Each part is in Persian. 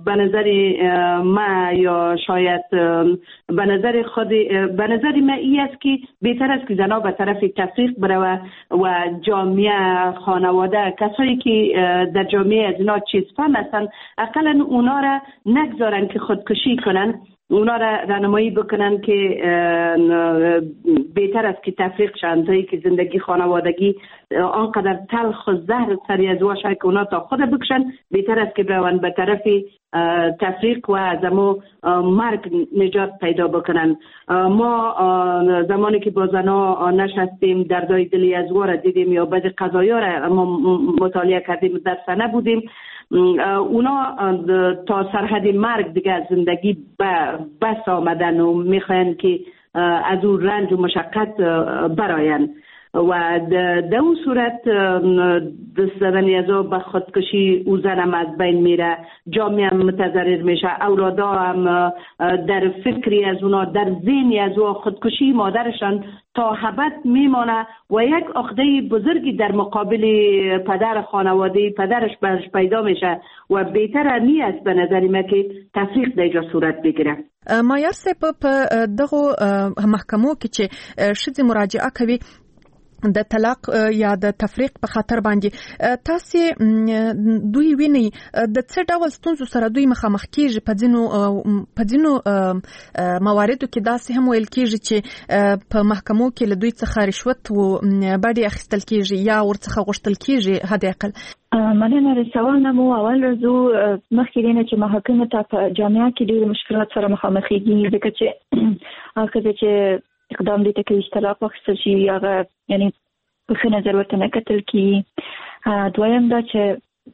به نظر ما یا شاید به نظر خود، به نظر ما ای است که بهتر است که زنها به طرف تفریق بروه و جامعه، خانواده، کسایی که در جامعه از اینا چیز فهم هستن، اقلا اونا را نگذارن که خودکشی کنن، اونا را راهنمایی بکنن که بهتر است که تفریق شوند، تا که زندگی خانوادگی آنقدر تلخ و زهر سری از واشه که اونا تا خود بکشن، بهتر است که بروند به طرف تفریق و از امو مرگ نجات پیدا بکنن. ما زمانی که با زنها نشستیم، دردای دلی از را دیدیم یا بعضی قضایا را ما مطالعه کردیم، در صحنه بودیم، اونا تا سرحد مرگ دیگه از زندگی بس آمدن و میخواین که از اون رنج و مشقت براین و در اون صورت دست زدن از او به خودکشی، او زنم از بین میره، جامعه هم متضرر میشه، اولادا هم در فکری از اونا، در ذهنی از او خودکشی مادرشان تا ابد میمانه و یک عقده بزرگی در مقابل پدر خانواده پدرش برش پیدا میشه و بهتر می است به نظر من که تفریق در اینجا صورت بگیره. مایار صاحب، په دغو محکمو کې چې ښځې مراجعه کوي د طلاق یا د تفریق په خاطر باندې، تاسو دوی وینئ د څه ډول ستونزو سره دوی مخامخ کیږي؟ په ځینو مواردو کې داسې هم ویل کیږي چې په محکمو کې له دوی څخه رشوت و بډې اخیستل کیږي یا ورڅخه غوښتل کیږي حد اقل. مننه د سوال نه مو. اول راځو مخکې دینه چې محاکمو ته په جامعه کې ډېر مشکلات سره مخامخېږي، ځکه چې هغه چې اقدام دې ته کوي چې طلاق واخیستل شي، هغه یعنی په ښه نظر ورته نه کتل کېږي. دویم دا چې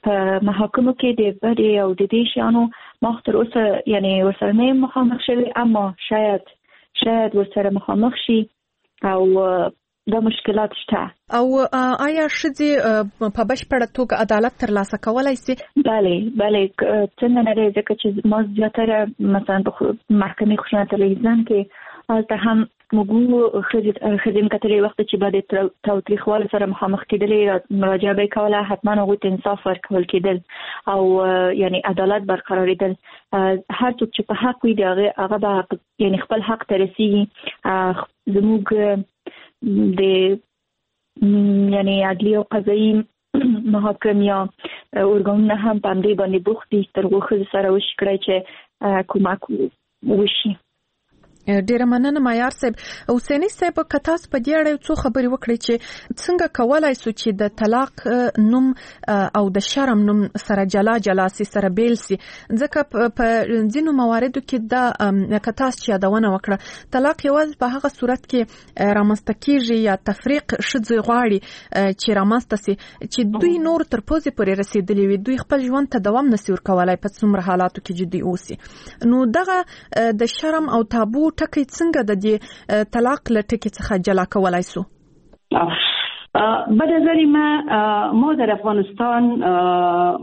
په محاکمو کې د بډې او د دې شیانو ما تر اوسه یعنی ورسره نه یم مخامخ شوی، اما شاید ورسره مخامخ شي او دا مشکلات شته. او آیا ښځې په بشپړه توګه عدالت ترلاسه کولای شي؟ بله، څنګه نه دی، ځکه چې ما زیاتره مثلا په محکمې خشونت علیه زن کې، هلته هم موږ ښځې کتلې، وخت چې به د تاوتریخوالي سره مخامخ کېدلې، مراجعه به یې کوله، حتما هغوی ته انصاف ورکول کېدل او یعنی عدالت برقرارېدل. هر څوک چې په حق وي، د هغه هغه به حق، یعنی خپل حق ته رسیږي. زموږ د یعنی عدلي او قضایي محاکم یا ارګانونه هم په همدې باندې بوخت دي، تر څو ښځو سره وشي کړی چې کمک وشي. ډیره مننه معیار صاحب. حسیني صاحب، که تاسو په دې اړه یو څو خبرې وکړئ چې څنګه کولای سو چې د طلاق نوم او د شرم نوم سره جلا جلا سي، سره بیل سي، ځکه په ځینو مواردو کې دا که تاسو چې یادونه وکړه، طلاق یوازې په هغه صورت کې رامنځته کیږي یا تفریق ښځې غواړي چې رامنځته سي چې دوی نور تر پوزې پورې رسیدلي وي، دوی خپل ژوند ته دوام نسي ورکولای په څومره حالاتو کې چې دوی اوسي. نو دغه د شرم او تابو ټکی څنګه د دې طلاق له ټکي څخه جلا کولای سو؟ به نظر ما در افغانستان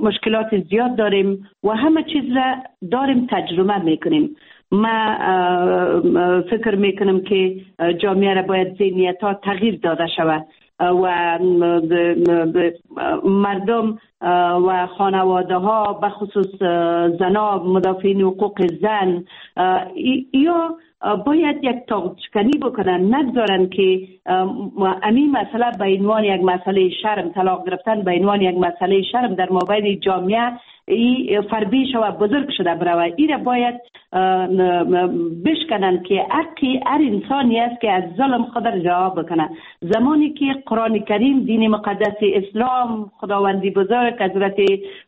مشکلات زیاد داریم و همه چیز را داریم تجربه میکنیم. ما فکر میکنم که جامعه را باید ذهنیت ها تغییر داده شود و مردم و خانواده ها، به خصوص زنا، مدافعین حقوق زن یا باید یک تابوشکنی بکنن، نگذارن که امی مسئله به عنوان یک مسئله شرم، طلاق گرفتن به عنوان یک مسئله شرم در مابین جامعه ای فربی شوه، بزرگ شده بروه. ای را باید بشکنن که حقی هر انسانی است که از ظلم خود را رها بکنه. زمانی که قرآن کریم، دین مقدس اسلام، خداوندی بزرگ حضرت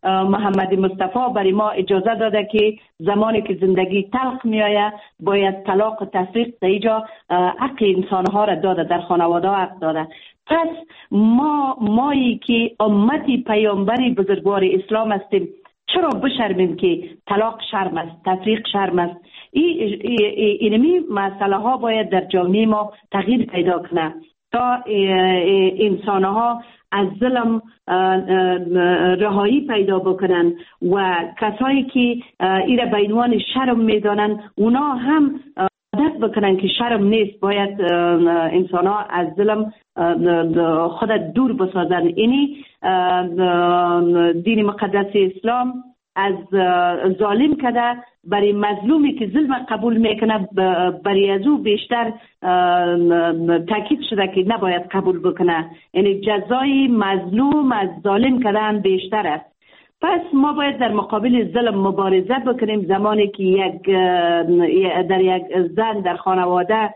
محمد مصطفی برای ما اجازه داده که زمانی که زندگی تلخ میآید باید طلاق و تفریق در اینجا حق انسانها را داده، در خانواده حق داده. پس ما مایی که امتی پیامبری بزرگوار اسلام هستیم، چرا بشرمیم که طلاق شرم است، تفریق شرم است؟ اینمی مسئله ها باید در جامعه ما تغییر پیدا کنه تا انسان ها از ظلم رهایی پیدا بکنن و کسایی که ایره به عنوان شرم میدانن، اونا هم عادت بکنن که شرم نیست، باید انسان ها از ظلم خود دور بسازن. اینی دین مقدس اسلام. از ظالم کده برای مظلومی که ظلم قبول میکنه برای از او بیشتر تاکید شده که نباید قبول بکنه، یعنی جزای مظلوم از ظالم کردن بیشتر است. پس ما باید در مقابل ظلم مبارزه بکنیم. زمانی که یک در یک زن در خانواده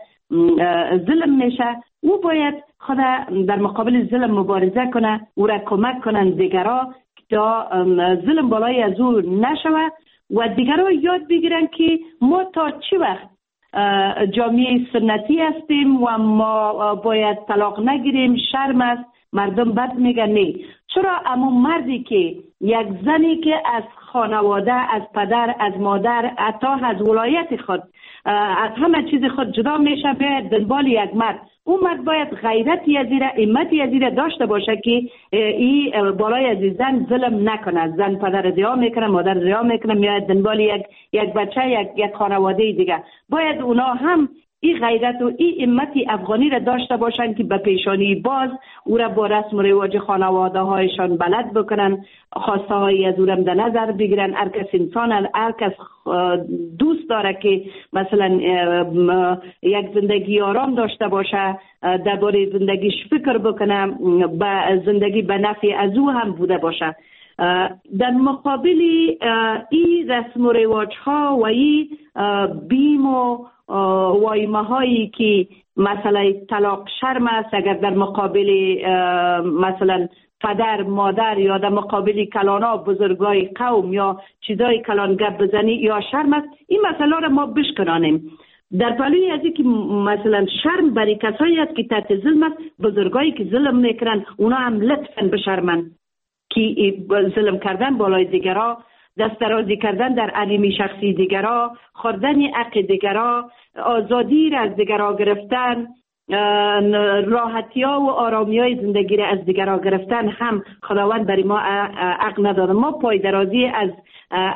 ظلم میشه، او باید خود در مقابل ظلم مبارزه کنه، او را کمک کنن دیگرا تا ظلم بالای از او نشوه و دیگرا یاد بگیرن که ما تا چه وقت جامعه سنتی هستیم و ما باید طلاق نگیریم، شرم است، مردم بد میگن. نه، چرا اما مردی که یک زنی که از خانواده، از پدر، از مادر، حتی از ولایت خود، از همه چیز خود جدا میشه، به دنبال یک مرد، اون مرد باید غیرتی از ایره، همتی از ایره داشته باشه که ای بالای از زن ظلم نکنه. زن پدر ضیاع میکنه، مادر ضیاع میکنه، میاد دنبال یک بچه، یک خانواده دیگه. باید اونا هم این غیرت و این همتی افغانی را داشته باشند که به پیشانی باز او را با رسم و رواج خانواده هایشان بلد بکنن، خواسته های از او را در نظر بگیرن. هر کس انسان، هر کس دوست داره که مثلا یک زندگی آرام داشته باشه، درباره زندگیش فکر بکنه، به زندگی به نفع از او هم بوده باشه. در مقابل این رسم و رواج ها و این بیم و وایمه هایی که مسئله طلاق شرم است، اگر در مقابل مثلا پدر، مادر یا در مقابل کلانا بزرگای قوم یا چیزای کلان گپ بزنی یا شرم است، این مسئله را ما بشکنانیم. در پلوی از اینکه مثلا شرم برای کسایی است که تحت ظلم است، بزرگایی که ظلم میکنن اونا هم لطفاً بشرمن که ظلم کردن بالای دیگرا، دست درازی کردن در علمی شخصی دیگرا، خوردن حق دیگرا، آزادی را از دیگرا گرفتن، راحتی ها و آرامی های زندگی را از دیگرا گرفتن هم خداوند برای ما عقل نداده. ما پای درازی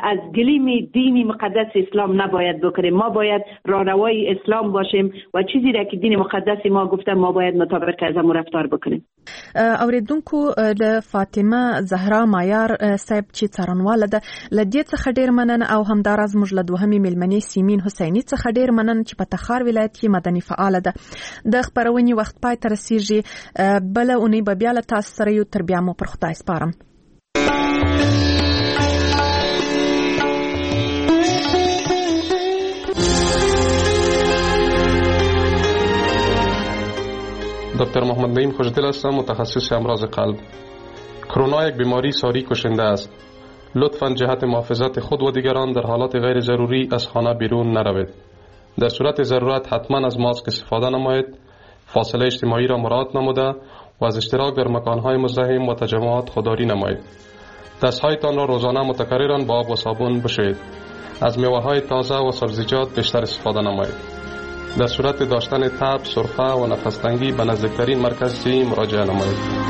از گلیم دین مقدس اسلام نباید بکنیم. ما باید راهنمای اسلام باشیم و چیزی را که دین مقدس ما گفته ما باید مطابق از آن رفتار بکنیم. اوریدونکو له فاطمه زهرا مایار صاحب چې څارنواله ده له دې څخه ډیر مننه، او همداراز موږ له دوهمې میلمنې سیمین حسیني څخه ډیر مننه چې په تخار ولایت کې مدني فعاله ده. د خپرونې وخت پای ته رسیږي، بله اونۍ به بیا له تاسو سره یو. تر بیا مو پر خدای سپارم. دکتر محمد نعیم خوشدل هستم، متخصص امراض قلب. کرونا یک بیماری ساری کشنده است. لطفاً جهت محافظت خود و دیگران در حالات غیر ضروری از خانه بیرون نروید. در صورت ضرورت حتما از ماسک استفاده نمایید، فاصله اجتماعی را مراعات نموده و از اشتراک در مکانهای مزدحم و تجمعات خودداری نمایید. دستهایتان را روزانه متکرراً با آب و صابون بشویید. از میوه‌های تازه و سبزیجات بیشتر استفاده نمایید. در صورت داشتن تب، سرفه و نفس تنگی به نزدیکترین مرکز صحی مراجعه نمایید.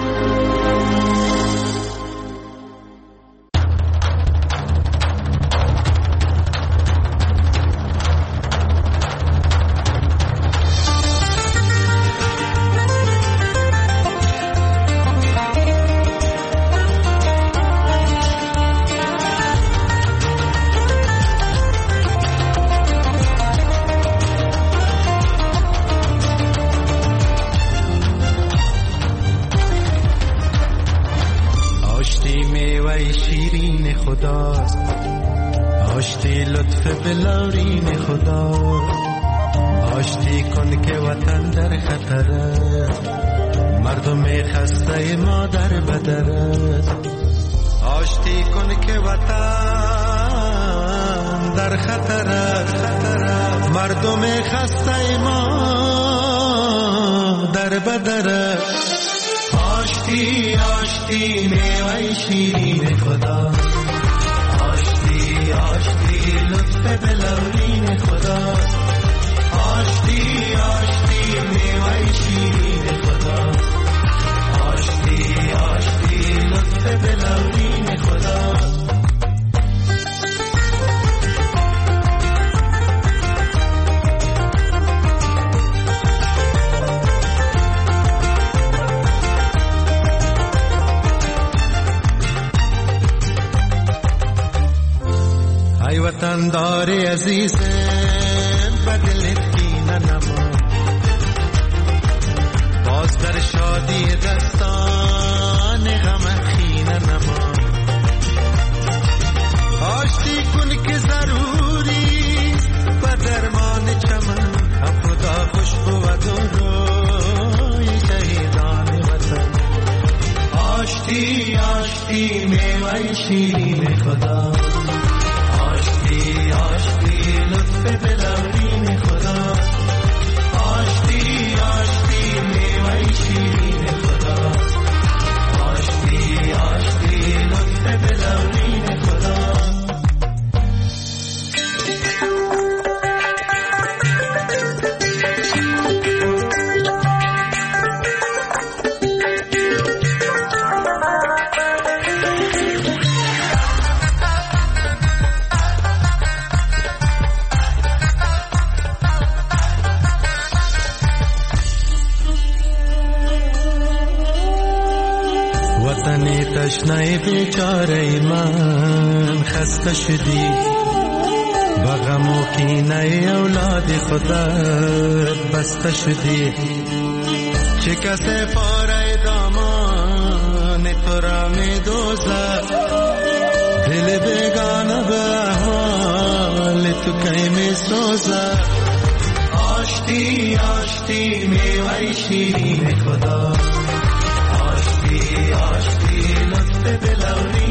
ای وطندار عزیزم بدلت کینه نما، باز در شادی دستان غم خینه نما. آشتی کن که ضروریست و درمان چمن، هم خدا خوش بود و روی شهیدان وطن. آشتی آشتی میوه شیرین خدا، آشتی آشتی لطف دلورین خدا، آشتی آشتی میوه شیرین خدا، آشتی آشتی لطف دلورین خدا. تشنه بیچاره من خسته شدی، با غم و کینه اولاد خودت بسته شدی. چه کس پاره دامان تو را می دوزد، دل بیگانه به احوال تو کی می سوزد. آشتی آشتی میوه شیرین خدا، آشتی آشتی لطف دلورین